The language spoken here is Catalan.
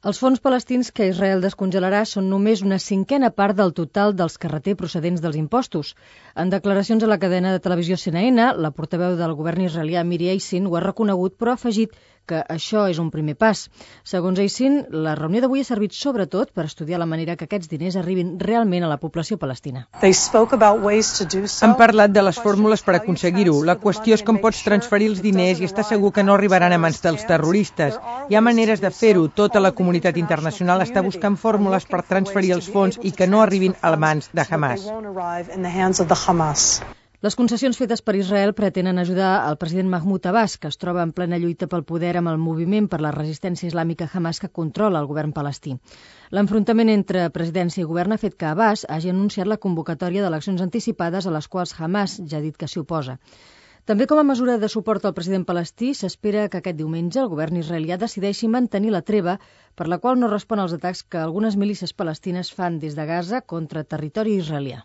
Els fons palestins que Israel descongelarà són només una cinquena part del total dels que reté procedents dels impostos. En declaracions a la cadena de televisió CNN, la portaveu del govern israelià Miri Eisin ho ha reconegut, però ha afegit que això és un primer pas. Segons Eisin, la reunió d'avui ha servit sobretot per estudiar la manera que aquests diners arribin realment a la població palestina. Han parlat de les fórmules per aconseguir-ho. La qüestió és com pots transferir els diners i estar segur que no arribaran a mans dels terroristes. Hi ha maneres de fer-ho. Tota la comunitat internacional està buscant fórmules per transferir els fons i que no arribin a mans de Hamas. Les concessions fetes per Israel pretenen ajudar el president Mahmoud Abbas, que es troba en plena lluita pel poder amb el moviment per la resistència islàmica Hamas que controla el govern palestí. L'enfrontament entre presidència i govern ha fet que Abbas hagi anunciat la convocatòria d'eleccions anticipades a les quals Hamas ja ha dit que s'hi oposa. També com a mesura de suport al president palestí, s'espera que aquest diumenge el govern israelià decideixi mantenir la treva, per la qual no respon als atacs que algunes milícies palestines fan des de Gaza contra territori israelià.